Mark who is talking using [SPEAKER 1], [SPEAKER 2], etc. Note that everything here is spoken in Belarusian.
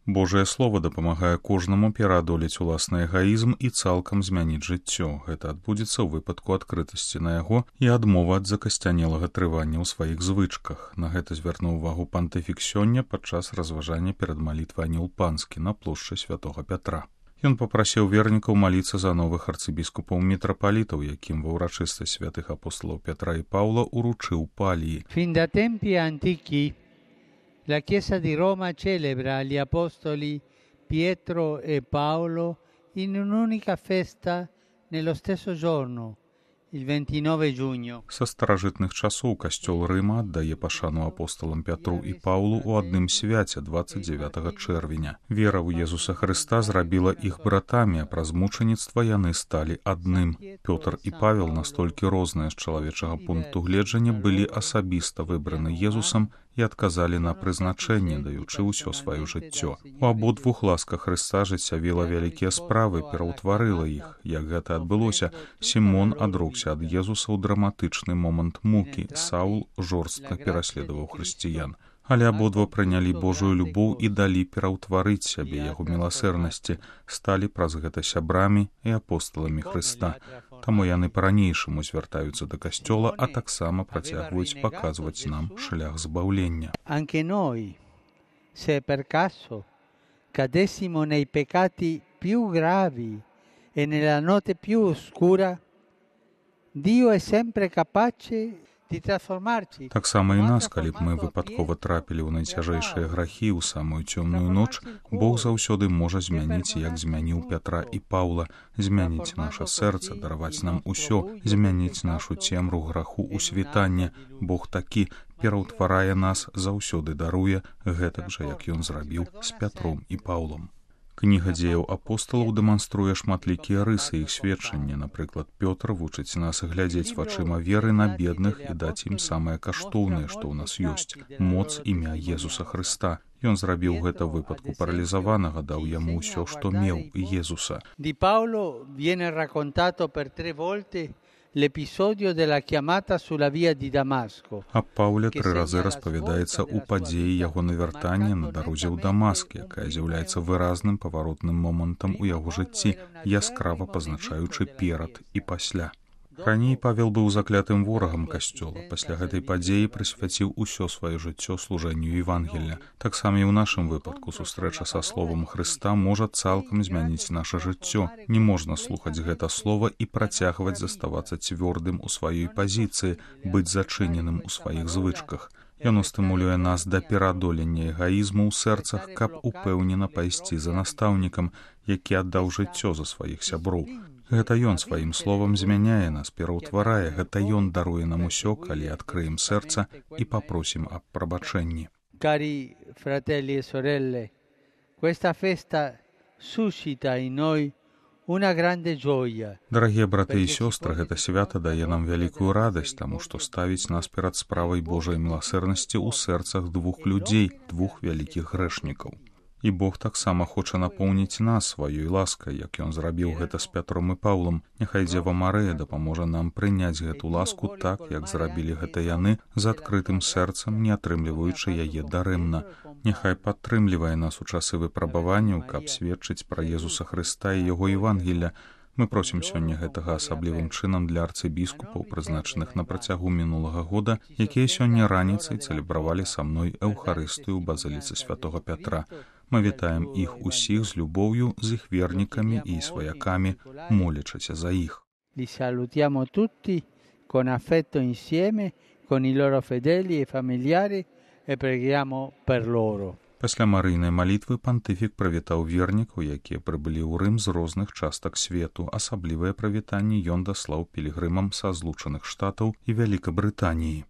[SPEAKER 1] Божае слово дапамагае кожнаму пераадолець уласны эгаізм і цалкам змяніць жыццё. Гэта адбудзецца ў выпадку адкрытасці на яго і адмовы ад закасцянелага трывання ў сваіх звычках. На гэта звярнуў увагу пантыфік сёння падчас разважання перад малітвай Анёл Панскі на плошчы святога Пятра. Ён папрасіў вернікаў маліцца за новых арцыбіскупаў мітрапалітаў, якім ва ўрачыстасць святых апосталаў Пятра і Паўла уручыў палії.
[SPEAKER 2] Fin da tempi antichi la Chiesa di Roma celebra gli apostoli Pietro e Paolo in un'unica festa nello stesso giorno, il 29 giugno.
[SPEAKER 1] Са старажытных часоў касцёл Рыма аддае пашану апосталам Пятру і Паўлу ў адным свяце 29 чэрвеня. Вера ў Езуса Хрыста зрабіла іх братамі, а праз мучаніцтва яны сталі адным. Пётр і Павел, настолькі розныя з чалавечага пункту гледжання, былі асабіста выбраны Езусам і адказалі на прызначэнне, даючы ўсё сваё жыццё. У абодвух ласка Хрыста жыццявіла вялікія справы, пераўтварыла іх. Як гэта адбылося, Сімон адрокся ад Езуса ў драматычны момант мукі. Саул жорстка пераследаваў хрысціян. Але абодва прынялі Божую любоў і далі пераўтварыць сябе яго міласэрнасці, сталі праз гэта сябрамі і апосталамі Хрыста. Таму яны па-ранейшаму звяртаюцца да касцёла, а таксама працягваюць паказваць нам шлях збаўлення.
[SPEAKER 2] Anche noi, se per caso cadessimo nei peccati più gravi e nella notte più oscura, Dio è sempre capace di trasformarci.
[SPEAKER 1] Таксама і нас, калі б мы выпадкова трапілі ў найцяжэйшыя грахі ў самую цёмную ноч, Бог заўсёды можа змяніць, як змяніў Пятра і Паўла, змяніць наша сэрца, дараваць нам усё, змяніць нашу цемру граху ў світанне. Бог такі пераўтварае нас, заўсёды даруе, гэтак жа, як ён зрабіў з Пятром і Паўлом. Кніга дзеяў апосталаў дэманструе шматлікія рысы іх сведчання. Напрыклад, Пётр вучыць нас глядзець вачыма веры на бедных і даць ім самае каштоўнае, што ў нас ёсць — моц імя Езуса Хрыста. Ён зрабіў гэта ў выпадку паралізаванага, даў яму ўсё, што меў, Езуса.
[SPEAKER 2] Di Paolo viene raccontato per 3 volte l'episodio della chiamata sulla via di Damasco.
[SPEAKER 1] Аб Паўле 3 разы распавядаецца ў падзеі яго навяртання на дарозе ў Дамаск, якая з'яўляецца выразным паваротным момантам у яго жыцці, яскрава пазначаючы перад і пасля. Раней Павел быў заклятым ворагам касцёла. Пасля гэтай падзеі прысвяціў усё сваё жыццё служэнню Евангелля. Таксама і ў нашым выпадку сустрэча са словам Хрыста можа цалкам змяніць наша жыццё. Не можна слухаць гэта слова і працягваць заставацца цвёрдым у сваёй пазіцыі, быць зачыненым у сваіх звычках. Яно стымулюе нас да пераадолення эгаізму ў сэрцах, каб упэўнена пайсці за настаўнікам, які аддаў жыццё за сваіх сяброў. Гэта ён сваім словам змяняе нас, пераўтварае, гэта ён даруе нам усё, калі адкрыем сэрца і папросім аб прабачэнні.
[SPEAKER 2] Cari fratelli e sorelle, questa festa suscita in noi una grande gioia.
[SPEAKER 1] Дарагія браты і сёстры, гэта свята дае нам вялікую радасць, таму што ставіць нас перад справай Божай міласэрнасці ў сэрцах двух людзей, двух вялікіх грэшнікаў. І Бог таксама хоча напоўніць нас сваёй ласкай, як ён зрабіў гэта з Пятром і Паўлам. Няхай Дзева Марыя дапаможа нам прыняць гэту ласку так, як зрабілі гэта яны, з адкрытым сэрцам, не атрымліваючы яе дарэмна. Няхай падтрымлівае нас у часы выпрабаванняў, каб сведчыць пра Езуса Хрыста і яго Евангелля. Мы просім сёння гэтага асаблівым чынам для арцыбіскупаў, прызначаных на працягу мінулага года, якія сёння раніцай цэлебравалі са мной Эўхарыстыю ў базыліцы святога Пятра. Мы вітаем іх усіх з любоўю, з іх вернікамі і сваякамі, молячыся за іх.
[SPEAKER 2] Li salutiamo tutti con affetto insieme con i loro fedeli e familiari e preghiamo per loro.
[SPEAKER 1] Пасля марыйнай малітвы пантыфік прывітаў вернікаў, якія прыбылі ў Рым з розных частак свету. Асаблівае прывітанне ён даслаў пілігрымам са Злучаных Штатаў і Вялікабрытаніі.